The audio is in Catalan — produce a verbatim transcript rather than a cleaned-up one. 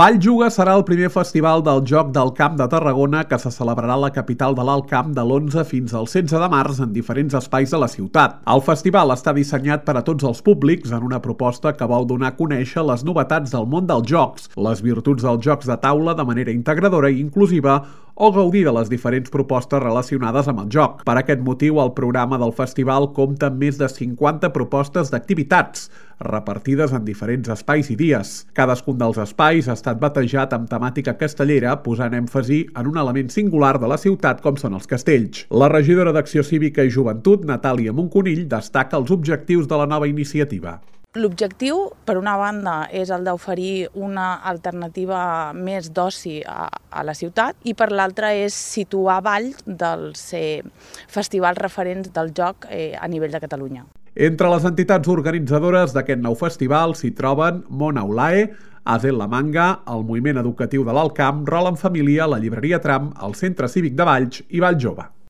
Valljuga serà el primer festival del Joc del Camp de Tarragona que se celebrarà a la capital de l'Alt Camp de l'onze fins al setze de març en diferents espais de la ciutat. El festival està dissenyat per a tots els públics en una proposta que vol donar a conèixer les novetats del món dels jocs, les virtuts dels jocs de taula de manera integradora i inclusiva o gaudir de les diferents propostes relacionades amb el joc. Per aquest motiu, el programa del festival compta amb més de cinquanta propostes d'activitats, repartides en diferents espais i dies. Cadascun dels espais ha estat batejat amb temàtica castellera, posant èmfasi en un element singular de la ciutat com són els castells. La regidora d'Acció Cívica i Joventut, Natàlia Monconill, destaca els objectius de la nova iniciativa. L'objectiu, per una banda, és el d'oferir una alternativa més d'oci a, a la ciutat i per l'altra és situar Valls dels eh, festivals referents del joc eh, a nivell de Catalunya. Entre les entitats organitzadores d'aquest nou festival s'hi troben Mona Ulae, Azel la Manga, el Moviment Educatiu de l'Alt Camp, Rol en Família, la Llibreria Tram, el Centre Cívic de Valls i Valls Jove.